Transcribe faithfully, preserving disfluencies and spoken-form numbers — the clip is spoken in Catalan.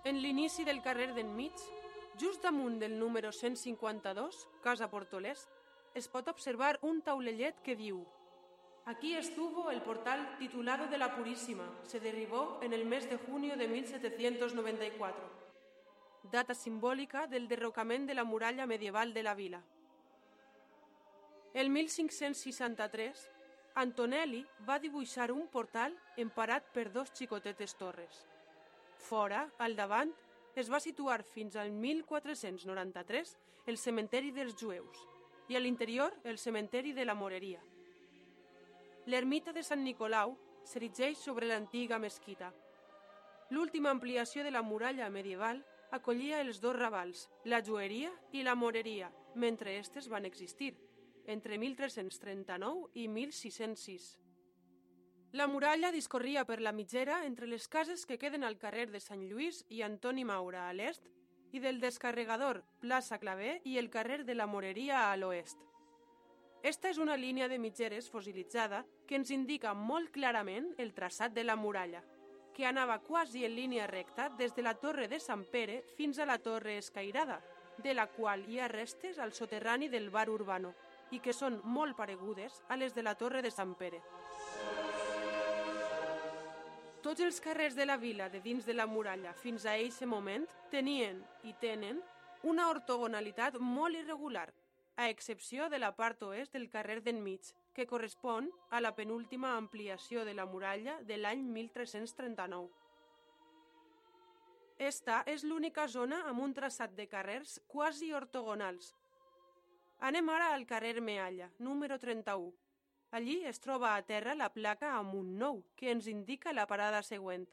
En l'inici del carrer d'enmig, just damunt del número cent cinquanta-dos, Casa Portolès, es pot observar un taulellet que diu: Aquí estuvo el portal titulado de la Purísima, se derribó en el mes de junio de mil setecientos noventa y cuatro, data simbòlica del derrocament de la muralla medieval de la vila. El mil cinc-cents seixanta-tres, Antonelli va dibuixar un portal emparat per dos xicotetes torres. Fora, al davant, es va situar fins al mil quatre-cents noranta-tres el cementeri dels jueus i a l'interior el cementeri de la Moreria. L'ermita de Sant Nicolau s'erigeix sobre l'antiga mesquita. L'última ampliació de la muralla medieval acollia els dos ravals, la Jueria i la Moreria, mentre estes van existir, entre mil tres-cents trenta-nou i mil sis-cents sis. La muralla discorria per la mitgera entre les cases que queden al carrer de Sant Lluís i Antoni Maura a l'est i del Descarregador, plaça Claver i el carrer de la Moreria a l'oest. Esta és una línia de mitgeres fossilitzada que ens indica molt clarament el traçat de la muralla, que anava quasi en línia recta des de la Torre de Sant Pere fins a la Torre Escairada, de la qual hi ha restes al soterrani del bar Urbano i que són molt paregudes a les de la Torre de Sant Pere. Tots els carrers de la vila de dins de la muralla fins a eixe moment tenien i tenen una ortogonalitat molt irregular, a excepció de la part oest del carrer d'enmig, que correspon a la penúltima ampliació de la muralla de l'any mil tres-cents trenta-nou. Esta és l'única zona amb un traçat de carrers quasi ortogonals. Anem ara al carrer Mealla, número trenta-u. Allí es troba a terra la placa amb un nou, que ens indica la parada següent.